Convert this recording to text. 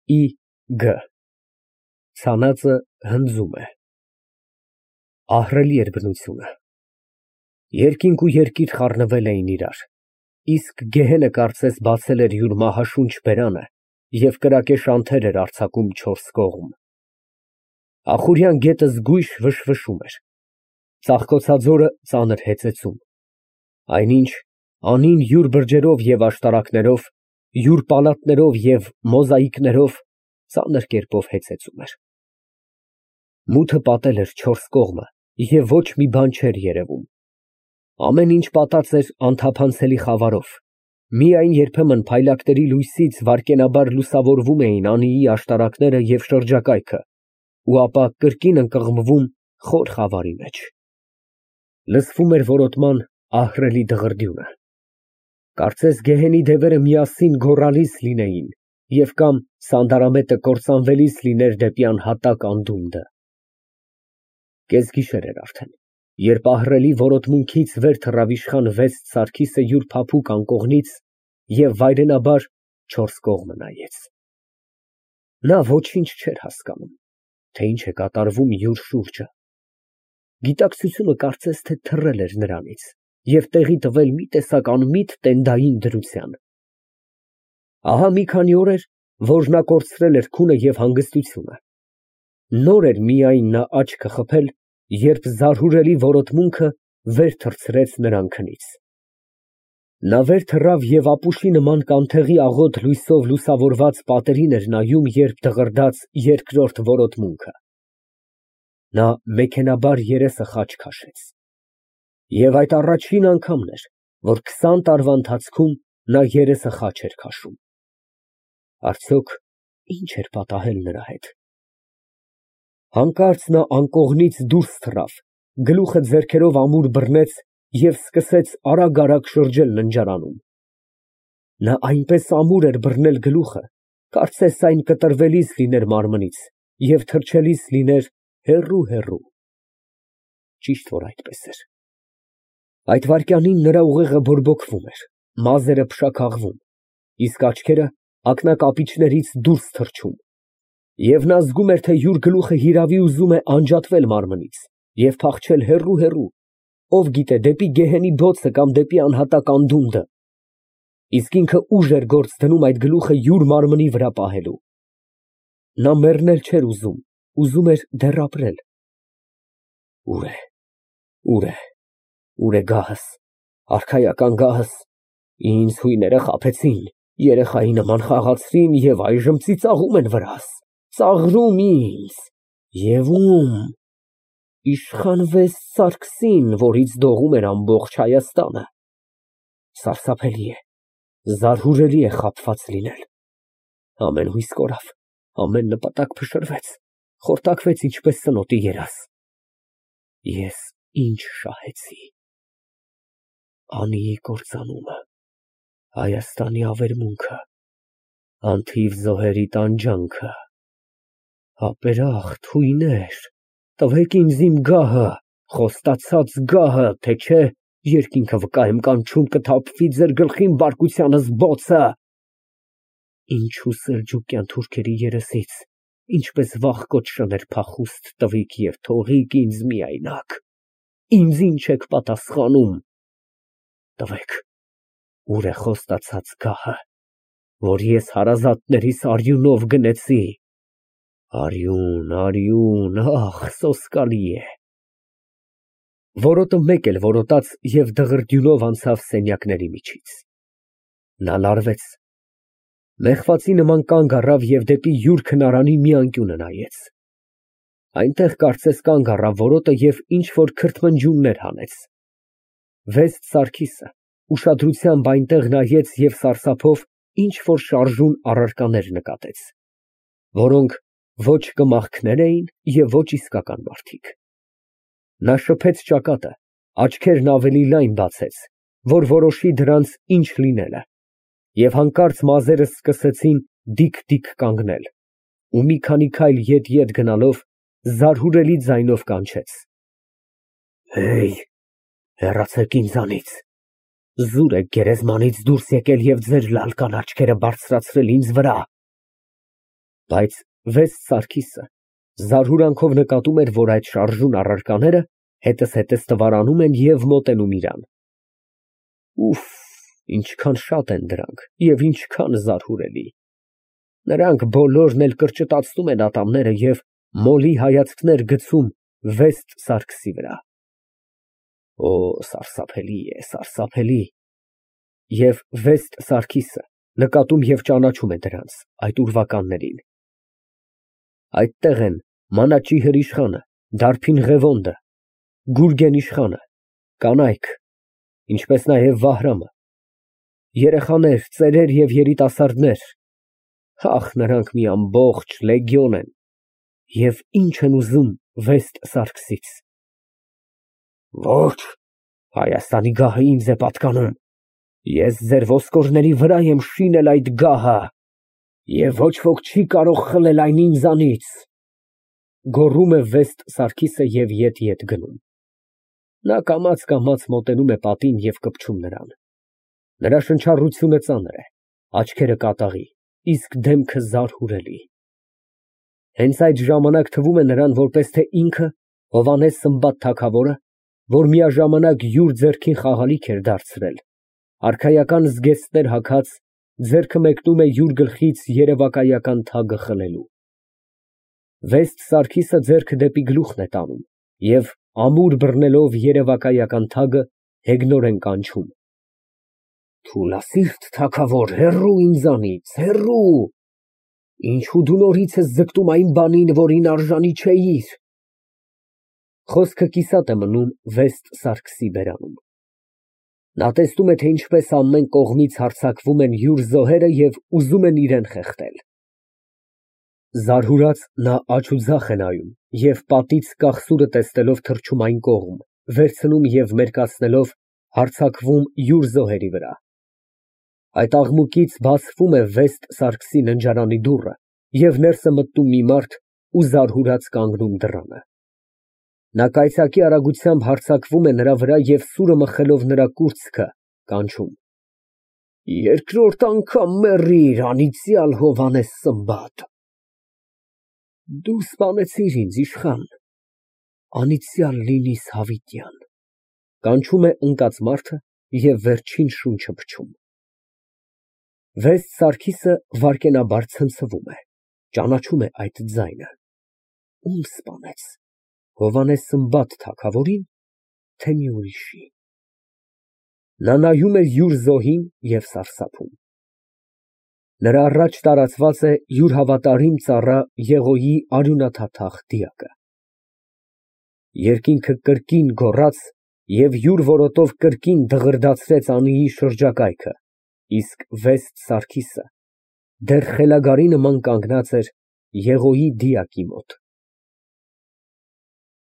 Ի ցանածը հնձում է։ Ահռելի էր բնությունը։ Երկինք ու երկիր խառնվել էին իրար, իսկ գեհենը կարծես բացել էր յուր մահաշունչ բերանը և կրակե շանթեր էր արձակում չորս կողմ։ Ախուրյան գետը զգույշ վշվշում էր, ծաղկոցաձորը ծանր հեծեծում, այնինչ անին յուր բրջերով և աշտարակներով, յուր պալատներով և մոզաիկներով ծանր կերպով հեծեծում էր։ Մութը պատել էր չորս կողմը և ոչ մի բան չէր երևում, ամեն ինչ պատած էր անթափանցելի խավարով, միայն երբեմն փայլակների լույսից վայրկենաբար լուսավորվում էին անիի աշտարակները և շրջակայքը, ու ապա կրկին ընկղմվում խոր խավարի մեջ։ Լսվում էր որոտման ահռելի դղրդյունը, կարծես գեհենի դևերը միասին գոռալիս լինեին և կամ սանդարամետը կործանվելիս լիներ դեպի անհատակ անդունդը։ Կեսգիշեր էր արդեն, երբ ահռելի որոտմունքից վեր թռավ իշխան վեստ Սարգիսը յուր փափուկ անկողնից և վայրենաբար չորս կողմը նայեց։ Նա ոչինչ չէր հասկանում, թե ինչ է կատարվում յուր շուրջը։ Գիտակցությունը կարծես թե թռել էր նրանից և տեղի տվել մի տեսակ անմիտ տենդային դրության։ Ահա մի քանի օր էր, որ նա կորցրել էր քունը և հանգստությունը։ Նոր էր միայն նա աչքը խփել, երբ զարհուրելի որոտմունքը վեր թռցրեց նրան քնից։ Նա վեր թռավ և ապուշի նման կանթեղի աղոտ լույսով լուսավորված պատերին էր նայում, երբ դղրդաց երկրորդ որոտմունքը։ Նա մեքենայաբար երեսը խաչ քաշեց։ Եվ այդ առաջին անգամն էր, որ 20 տարվա ընթացքում նա երեսը խաչ էր քաշում։ Արդյոք ի՞նչ էր պատահել նրա հետ։ Հանկարծ նա անկողնից դուրս թռավ, գլուխը ձեռքերով ամուր բռնեց և սկսեց արագ շրջել ննջարանում։ Նա այնպես ամուր էր բռնել գլուխը, կարծես այն կտրվելիս լիներ մարմնից և թռչելիս լիներ հեռու։ Ճիշտ որ այդպես էր։ Այդ վայրկյանին նրա ուղեղը բորբոքվում էր, մազերը փշաքաղվում, իսկ աչքերը ակնակապիճներից դուրս թռչում, և նա զգում էր, թե յուր գլուխը հիրավի ուզում է անջատվել մարմնից և փախչել հեռու, ով գիտե, դեպի գեհենի բոցը կամ դեպի անհատակ անդունդը, իսկ ինքը ուժ էր գործ դնում այդ գլուխը յուր մարմնի վրա պահելու։ Նա մեռնել չէր ուզում, ուզում էր դեռ ապրել։ Ո՞ւր է գահս, արքայական գահս, ինձ հույները խաբեցին, երեխայի նման խաղացրին և այժմ ծիծաղում են վրաս, ծաղրում ինձ, և ո՞ւմ, իշխան վեստ Սարգսին, որից դողում էր ամբողջ Հայաստանը։ Սարսափելի է, զարհուրելի է խաբված լինել։ Ամեն հույս կորավ, ամեն նպատակ փշրվեց, խորտակվեց ինչպես ծնոտի երազ։ Ես ինչ շահեցի։ Անիի կործանումը, Հայաստանի ավերմունքը, անթիվ զոհերի տանջանքը, ապերախտ հույներ, տվեք ինձ իմ գահը, խոստացած գահը, թե չէ երկինքը վկա եմ կանչում, կթափվի ձեր գլխին բարկությանս բոցը։ Ինչու սելջուկյան թուրքերի երեսից, ինչպես վախկոտ շներ փախուստ տվիք և թողիք ինձ միայնակ, ինձ ինչ եք պատասխանում։ Տվեք, ուր է խոստացած գահը, որ ես հարազատներիս արյունով գնեցի։ Արյուն, ախ, սոսկալի է։ Որոտը մեկ էլ որոտաց և դղրդյունով անցավ սենյակների միջից։ Նա լարվեց, մեղվացի նման կանգ առավ և դեպի յուր քնարանի մի անկյունը նայեց։ Այնտեղ կարծես կանգ առավ որոտը և ինչ֊որ քրթմնջյուններ հանեց։ Վեստ Սարգիսը ուշադրությամբ այնտեղ նայեց և սարսափով ինչ֊որ շարժուն առարկաներ նկատեց, որոնք ոչ կմախքներ էին և ոչ իսկական մարդիկ։ Նա շփեց ճակատը, աչքերն ավելի լայն բացեց, որ որոշի դրանց ինչ լինելը, և հանկարծ մազերը սկսեցին դիկ կանգնել, ու մի քանի քայլ ետ գնալով զարհուրելի ձայնով կանչեց. Հեյ, հեռացեք ինձանից, զուր եք գերեզմանից դուրս եկել և ձեր լալկան աչքերը բարձրացրել ինձ վրա։ Բայց վեստ Սարգիսը զարհուրանքով նկատում էր, որ այդ շարժուն առարկաները հետզհետե ստվարանում են և մոտենում իրան։ Ուֆ, ինչքան շատ են դրանք և ինչքան զարհուրելի։ Նրանք բոլորն էլ կրճտացնում են ատամները և մոլի հայացքներ գցում վեստ Սարգսի վրա։ Օ, սարսափելի է, սարսափելի։ Եվ վեստ Սարգիսը նկատում և ճանաչում է դրանց, այդ ուրվականներին։ Այդտեղ են Մանաչի հրիշխանը, Դարբին Ղևոնդը, Գուրգեն իշխանը, կանայք, ինչպես նաև Վահրամը, երեխաներ, ծերեր և երիտասարդներ, ախ, նրանք մի ամբողջ լեգիոն են, և ինչ են ուզում վեստ Սարգսից։ Ոչ, Հայաստանի գահը ինձ է պատկանում, ես ձեր ոսկորների վրա եմ շինել այդ գահը, և ոչ ոք չի կարող խլել այն ինձանից, գոռում է վեստ Սարգիսը և ետ գնում։ Նա կամաց մոտենում է պատին և կպչում նրան։ Նրա շնչառությունը ծանր է, աչքերը կատաղի, իսկ դեմքը զարհուրելի։ Հենց այդ ժամանակ թվում է նրան, որպես թե ինքը Հովհաննես Սմբատ թագավորը, որ միաժամանակ յուր ձեռքին խաղալիք էր դարձրել, արքայական զգեստներ հագած, ձեռքը մեկնում է յուր գլխից երևակայական թագը խլելու։ Վեստ Սարգիսը ձեռքը դեպի գլուխն է տանում և ամուր բռնելով երևակայական թագը հեգնորեն կանչում. Թուլասիրտ թագավոր, հեռու ինձանից, հեռու, ինչու դու նորից ես ձգտում այն բանին, որին արժանի չէիր։ Խոսքը կիսատ է մնում վեստ Սարգսի բերանում։ Նա տեսնում է, թե ինչպես ամեն կողմից հարձակվում են յուր զոհերը և ուզում են իրան խեղդել։ Զարհուրած նա աջ ու ձախ է նայում և պատից կաղսուրը տեսնելով թռչում այն կողմ, վերցնում և մերկացնելով հարձակվում յուր զոհերի վրա։ Այդ աղմուկից բացվում է վեստ Սարգսի ննջարանի դուռը և ներս է մտնում մի մարդ ու զարհուրած կանգնում դռանը։ Նա կայծակի արագությամբ հարձակվում է նրա վրա և սուրը մխելով նրա կուրծքը, կանչում. Երկրորդ անգամ մեռիր, անիծյալ Հովհաննես Սմբատ։ Դու սպանեցիր ինձ, իշխան, անիծյալ լինիս հավիտյան, կանչում է ընկած մարդը և վերջին շունչը փչում։ Վեստ Սարգիսը վայրկենաբար ցնցվում է, ճանաչում է այդ ձայնը։ Ում սպանեց, Հովհաննես Սմբատ թագավորի՞ն, թե մի ուրիշի։ Նա նայում է յուր զոհին և սարսափում։ Նրա առաջ տարածված է յուր հավատարիմ ծառա Եղոյի արյունաթաթախ դիակը։ Երկինքը կրկին գոռաց և յուր որոտով կրկին դղրդացրեց անիի շրջակայքը, իսկ վեստ Սարգիսը դեռ խելագարի նման կանգնած էր Եղոյի դիակի մոտ։